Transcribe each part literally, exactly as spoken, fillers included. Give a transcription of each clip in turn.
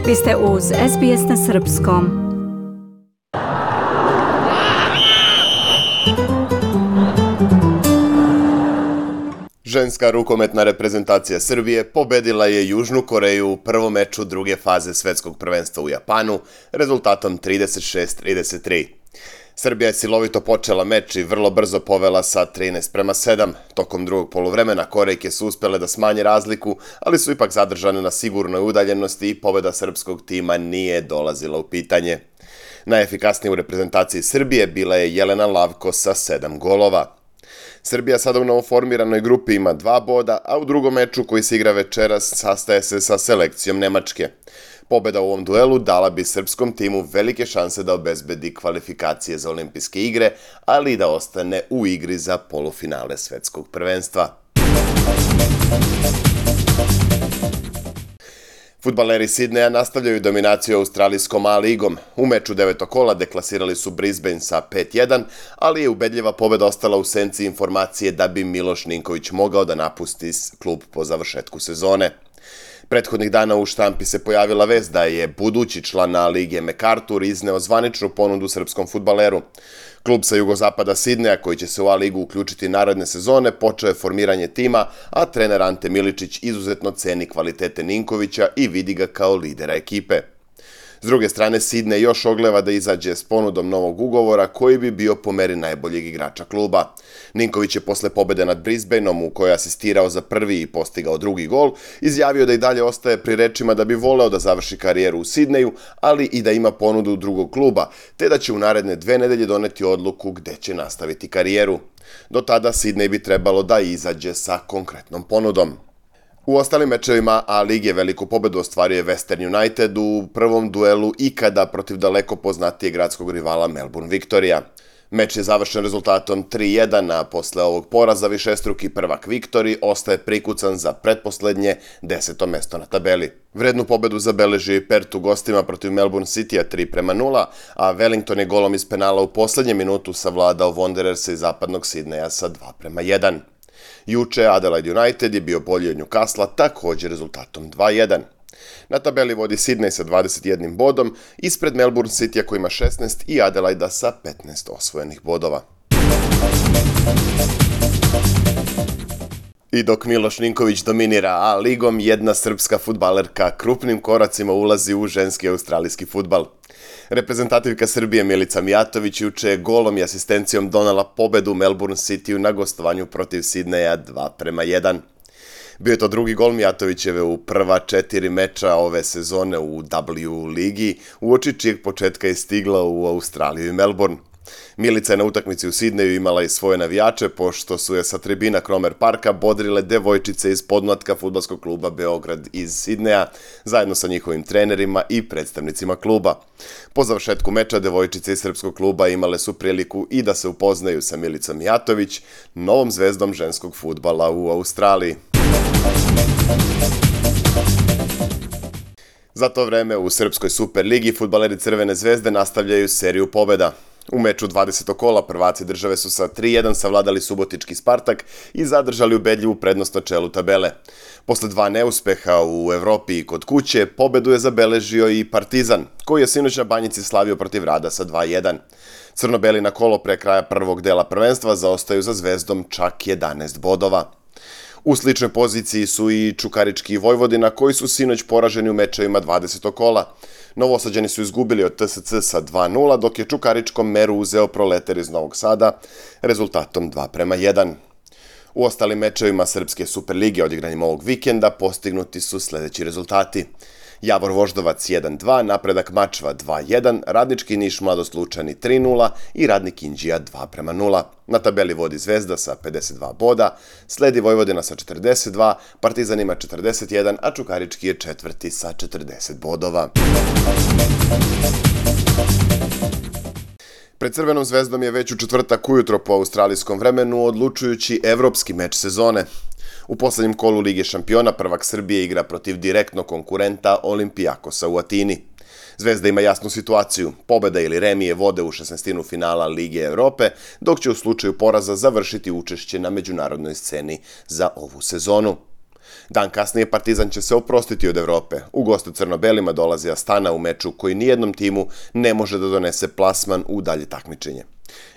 Vi ste uz S B S na srpskom. Ženska rukometna reprezentacija Srbije pobedila je Južnu Koreju u prvom meču druge faze svetskog prvenstva u Japanu rezultatom trideset šest trideset tri. Srbija je silovito počela meč i vrlo brzo povela sa trinaest prema sedam. Tokom drugog poluvremena Korejke su uspele da smanje razliku, ali su ipak zadržane na sigurnoj udaljenosti i pobeda srpskog tima nije dolazila u pitanje. Najefikasnija u reprezentaciji Srbije bila je Jelena Lavko sa sedam golova. Srbija sada u novoformiranoj grupi ima dva boda, a u drugom meču koji se igra večeras sastaje se sa selekcijom Nemačke. Pobeda u ovom duelu dala bi srpskom timu velike šanse da obezbedi kvalifikacije za olimpijske igre, ali i da ostane u igri za polufinale svetskog prvenstva. Fudbaleri Sidneja nastavljaju dominaciju australijskom A ligom. U meču devetog kola deklasirali su Brisbane sa pet jedan, ali je ubedljiva pobeda ostala u senci informacije da bi Miloš Ninković mogao da napusti klub po završetku sezone. Prethodnih dana u štampi se pojavila vest da je budući član A lige MacArthur izneo zvaničnu ponudu srpskom fudbaleru. Klub sa jugozapada Sidneja, koji će se u A ligu uključiti naredne sezone, počeo je formiranje tima, a trener Ante Miličić izuzetno ceni kvalitete Ninkovića i vidi ga kao lidera ekipe. S druge strane, Sidnej još ogleva da izađe s ponudom novog ugovora koji bi bio po meri najboljeg igrača kluba. Ninković je posle pobede nad Brisbaneom, u kojoj je asistirao za prvi i postigao drugi gol, izjavio da i dalje ostaje pri rečima da bi voleo da završi karijeru u Sidneju, ali i da ima ponudu drugog kluba, te da će u naredne dve nedelje doneti odluku gde će nastaviti karijeru. Do tada Sidnej bi trebalo da izađe sa konkretnom ponudom. U ostalim mečevima A lige veliku pobedu ostvario je Western United u prvom duelu ikada protiv daleko poznatijeg gradskog rivala Melbourne Victoria. Meč je završen rezultatom tri jedan, a posle ovog poraza višestruki prvak Victory ostaje prikucan za pretposlednje deseto mesto na tabeli. Vrednu pobedu zabeležio i Perth u gostima protiv Melbourne Citya tri prema nula, a Wellington je golom iz penala u poslednjem minutu savladao Wandererse iz zapadnog Sidneja sa dva prema jedan. Juče Adelaide United je bio bolji od Newcastle također rezultatom dva jedan. Na tabeli vodi Sidney sa dvadeset jednim bodom, ispred Melbourne Citya koji ima šesnaest i Adelaida sa petnaest osvojenih bodova. I dok Miloš Ninković dominira A ligom, jedna srpska fudbalerka krupnim koracima ulazi u ženski australijski fudbal. Reprezentativka Srbije Milica Mijatović juče je golom i asistencijom donela pobedu Melbourne Cityu na gostovanju protiv Sidneja dva prema jedan. Bio je to drugi gol Mijatovićeve u prva četiri meča ove sezone u W ligi, uoči čijeg početka je stigla u Australiju i Melbourne. Milica je na utakmici u Sidneju imala i svoje navijače, pošto su je sa tribina Cromer Parka bodrile devojčice iz podmlatka fudbalskog kluba Beograd iz Sidneja, zajedno sa njihovim trenerima i predstavnicima kluba. Po završetku meča, devojčice iz srpskog kluba imale su priliku i da se upoznaju sa Milicom Mijatović, novom zvezdom ženskog fudbala u Australiji. Za to vreme u Srpskoj Superligi fudbaleri Crvene zvezde nastavljaju seriju pobeda. U meču dvadesetog kola prvaci države su sa tri jedan savladali subotički Spartak i zadržali ubedljivu prednost na čelu tabele. Posle dva neuspeha u Evropi i kod kuće, pobedu je zabeležio i Partizan, koji je sinoć na Banjici slavio protiv Rada sa dva jedan. Crno-beli na kolo pre kraja prvog dela prvenstva zaostaju za Zvezdom čak jedanaest bodova. U sličnoj poziciji su i Čukarički i Vojvodina, koji su sinoć poraženi u mečevima dvadesetog kola. Novosađani su izgubili od T S C sa dva nula, dok je Čukaričkom meru uzeo Proletar iz Novog Sada rezultatom dva prema jedan. U ostalim mečevima Srpske Superlige odigranjem ovog vikenda postignuti su sledeći rezultati. Javor Voždovac jedan dva, Napredak Mačva dva jedan, Radnički Niš Mladost Lučani tri nula i Radnik Inđija dva prema nula. Na tabeli vodi Zvezda sa pedeset dva boda, sledi Vojvodina sa četrdeset dva, Partizan ima četrdeset jedan, a Čukarički je četvrti sa četrdeset bodova. Pred Crvenom zvezdom je već u četvrtak ujutro po australijskom vremenu odlučujući evropski meč sezone. U poslednjem kolu Lige šampiona prvak Srbije igra protiv direktnog konkurenta Olimpijakosa u Atini. Zvezda ima jasnu situaciju, pobeda ili remije vode u šesnaestinu finala Lige Evrope, dok će u slučaju poraza završiti učešće na međunarodnoj sceni za ovu sezonu. Dan kasnije Partizan će se oprostiti od Evrope. U gostu crno-belima dolazi Astana u meču koji nijednom timu ne može da donese plasman u dalje takmičenje.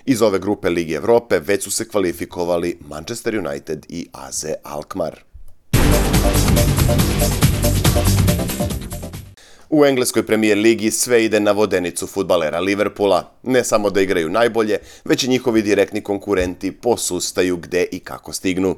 Iz ove grupe Lige Evrope već su se kvalifikovali Manchester United i A Z Alkmaar. U engleskoj premijer ligi sve ide na vodenicu fudbalera Liverpoola. Ne samo da igraju najbolje, već i njihovi direktni konkurenti posustaju gde i kako stignu.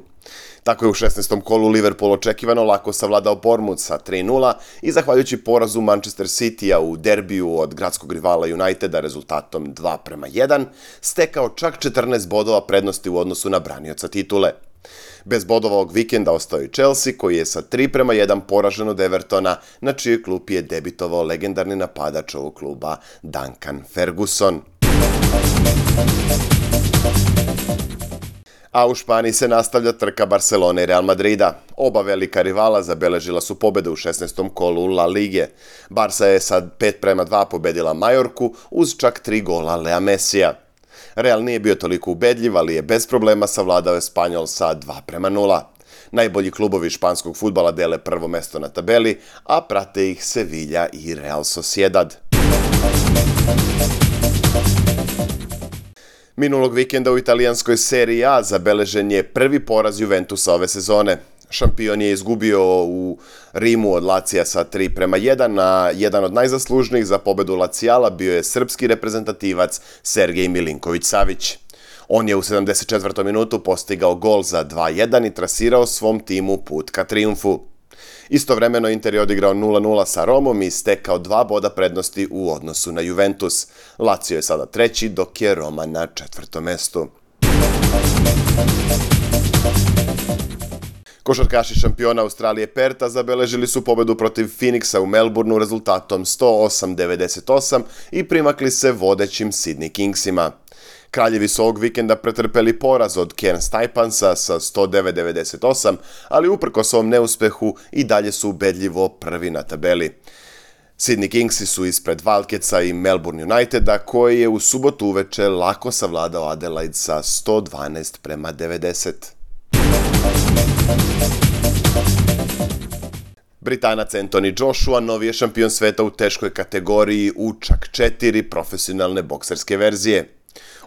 Tako je u šesnaestom kolu Liverpool očekivano lako savladao Bournemouth sa tri nula i zahvaljujući porazu Manchester City-a u derbiju od gradskog rivala Uniteda rezultatom dva prema jedan, stekao čak četrnaest bodova prednosti u odnosu na branioca titule. Bez bodova ovog vikenda ostao i Chelsea, koji je sa tri prema jedan poražen od Evertona, na čijoj klupi je debitovao legendarni napadač ovog kluba Duncan Ferguson. A u Španiji se nastavlja trka Barcelone i Real Madrida. Oba velika rivala zabeležila su pobede u šesnaestom kolu La Lige. Barca je sad pet prema dva pobedila Majorku uz čak tri gola Lea Messija. Real nije bio toliko ubedljiv, ali je bez problema savladao Espanjol sa dva prema nula. Najbolji klubovi španskog fudbala dele prvo mesto na tabeli, a prate ih Sevilla i Real Sociedad. Minulog vikenda u italijanskoj Serie A zabeležen je prvi poraz Juventusa ove sezone. Šampion je izgubio u Rimu od Lacija sa tri prema jedan, a jedan od najzaslužnijih za pobedu Lacijala bio je srpski reprezentativac Sergej Milinković-Savić. On je u sedamdeset četvrtoj minutu postigao gol za dva jedan i trasirao svom timu put ka trijumfu. Istovremeno Inter je odigrao nula nula sa Romom i stekao dva boda prednosti u odnosu na Juventus. Lazio je sada treći, dok je Roma na četvrtom mestu. Košarkaši šampiona Australije Perta zabeležili su pobedu protiv Phoenixa u Melbourneu rezultatom sto osam devedeset osam i primakli se vodećim Sydney Kingsima. Kraljevi su ovog vikenda pretrpeli poraz od Cairns Taipansa sa sto devet devedeset osam, ali uprkos ovom neuspehu i dalje su ubedljivo prvi na tabeli. Sydney Kingsi su ispred Wildcatsa i Melbourne Uniteda, koji je u subotu uveče lako savladao Adelaide sa sto dvanaest prema devedeset. Britanac Anthony Joshua novi je šampion sveta u teškoj kategoriji u čak četiri profesionalne bokserske verzije.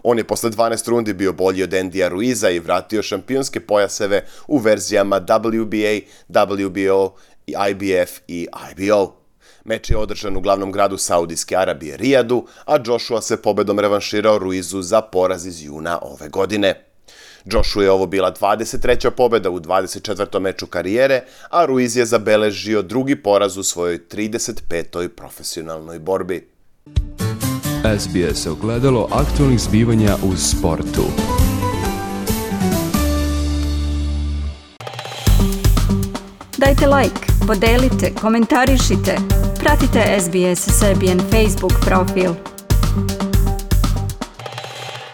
On je posle dvanaest rundi bio bolji od Andyja Ruiza i vratio šampionske pojaseve u verzijama W B A, W B O, I B F i I B O. Meč je održan u glavnom gradu Saudijske Arabije Rijadu, a Joshua se pobedom revanširao Ruizu za poraz iz juna ove godine. Joshua je ovo bila dvadeset treća pobeda u dvadeset četvrtom meču karijere, a Ruiz je zabeležio drugi poraz u svojoj trideset petoj profesionalnoj borbi. S B S ogledalo aktualnih zbivanja u sportu. Dajte like, podelite, komentarišite. Pratite S B S Serbian Facebook profil.